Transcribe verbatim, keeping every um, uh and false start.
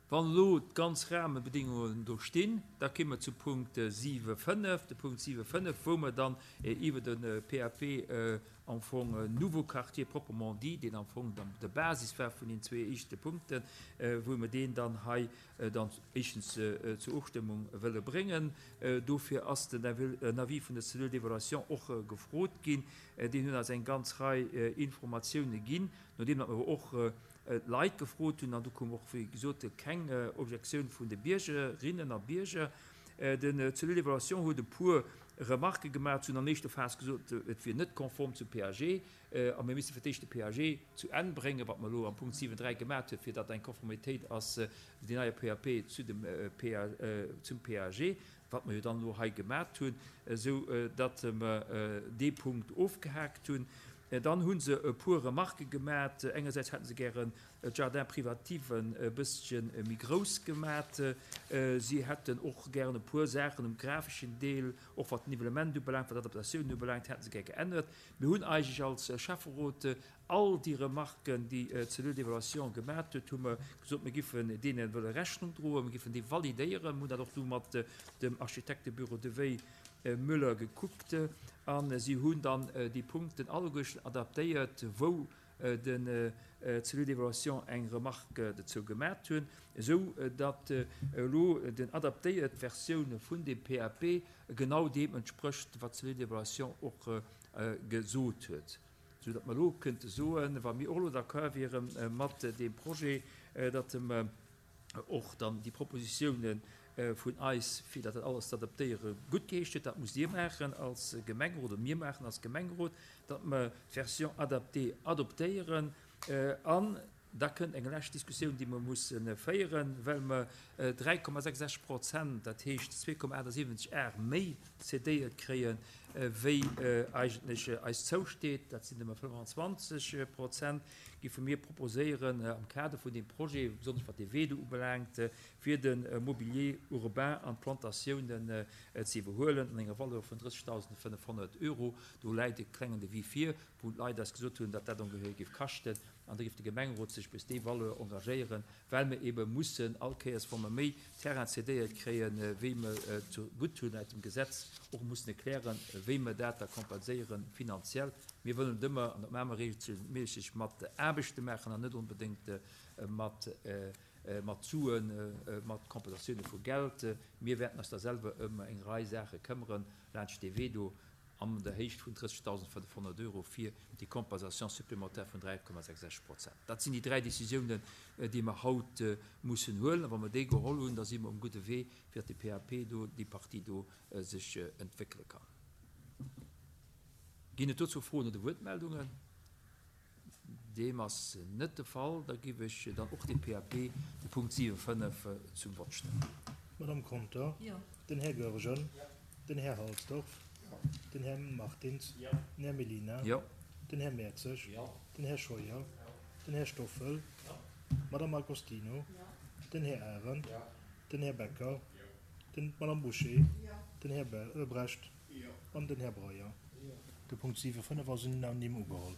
Wann elo d'ganz Rahmenbedingungen do stinn, da komme mer zu Punkt siwe fënnef, de Punkt siwe fënnef, wou mer dann iwwer de P A P am Fong Nouveau Quartier proprement dit, deen am Fong dann de Basis war vun den zwee éischte Punkten, wou mer deen dann hei dann éischtens zur Ofstëmmung wëlle bréngen. Dofir ass den Avis vun der Cellule d'évaluation och gefrot ginn. Deen hunn eis eng ganz Rei Informatioune ginn, nodeem datt mer och d'Leit gefrot hunn, an do koum och, wéi gesot, keng Objektioun vun de Biergerinnen a Bierger. Den Cellule d'évaluation huet e puer Remarke gemaach. Si hunn an éischter Phas gesot, et wier net konform zum P A G, a mir misste fir d'éischt de P A G zu Enn bréngen, wat mer elo am Punkt siwen dräi gemaach hunn, fir datt eng Konformitéit ass, deen neie P A P zu dem P A, zum P A G, wat mer jo dann elo hei gemaach hunn, esou datt mer dee Punkt ofgehaakt hunn. Dann hu se e puer Remarke gemaach. Engersäits hätte se gären d'Jardin privativen e bësschen méi grouss gemaach. Si hätten och gären e puer Saachen um grafeschen Deel, och wat d'Nivellement ubelaangt, wat d'Adaptatioun ubelaangt, hätte se gär geännert. Mir hunn eigentlech als Schäfferot all déi Remarken, déi d'Cellule d'évaluation gemaach huet, hu mer gesot, mir giffen deene wëlle Rechnung droen, mir giffen déi validéieren. Mir hunn dat och du mat dem Architektebüro De Wey Müller gekuckt, a si hunn dann déi Punkten alleguerten adaptéiert, wou den Cellule d'évaluation eng Remarque dozou gemaach hunn, esou datt elo den adaptéiert Versioun vun dem P A P genau deem entsprécht, wat d'Cellule d'évaluation och gesot huet. Sou datt mer elo kënnte soen, wa mir och elo d'accord wiere mat deem Projet, datt mer och dann déi Propositiounen vun eis, fir dat alles ze adaptéiere, gutt geheescht huet. Dat musst Dir maachen als Gemengerot oder mir maachen als Gemengerot, datt mer d'Version adaptée adoptéieren, an da kënnt eng lescht Diskussioun, déi mer musse féieren, well mer dräi Komma sechs Prozent, dat heescht zwee Komma achtundsiwwenzeg Ar méi cédéiert kréien, wéi eigentlech eis zousteet, dat sinn ëmmer fënnfanzwanzeg Prozent, giffe mir proposéieren am Kader vun deem Projet, besonnesch wat de Wee do ubelaangt, fir de Mobilier urbain an d'Plantatiounen ze iwwerhuelen an enger Valeur vun drëssegdausendfënnefhonnert Euro. Do läit e klengen Devis vir, wou d'Leit eis gesot hunn, datt dat ongeféier géif kaschten, an da géif de Gemengerot sech bis déi Valeur engagéieren, well mir ebe mussen all Kéiers, wa mer méi Terrain cédéiert kréien, wéi mer zu gutt hunn aus dem Gesetz, och mussen erklären, wéi mer dat da kompenséieren finanziell. Mir wëllen et ëmmer, an dat maache mer regelméisseg, mat Aarbechte maachen an net onbedéngt mat mat Suen, mat Kompensatioune vu Geld. Mir wäerten eis da selwer ëm eng Rei Saache këmmeren laanscht dee Wee do an der Héicht vun drëssegdausendfënnefhonnert Euro fir déi Compensation supplémentaire vun dräi Komma sechs Prozent. Dat sinn déi dräi Decisiounen, déi mer haut mussen huelen. A wa mer déi geholl hunn, da si mer um gudde Wee, fir datt de P A P do, déi Partie do sech entwéckele kann. Ginn et dozou Froen oder Wuertmeldungen? Deem ass net de Fall. Da géif ech dann och de P A P, de Punkt siwe fënnef, zum Vott stellen. Madame Conter? Jo. Den Här Goergen? Den Här Halsdorf? Den Här Martins? Den Här Mellina? Jo. Den Här Mertzig? Den Här Scheuer? Den Här Stoffel? Madame Agostino? Den Här Arendt? Den Här Becker? Den Madame Boucher? Den Här Brecht? An den Här Breyer? De Punkt siwe fënnef ass unanime ugeholl.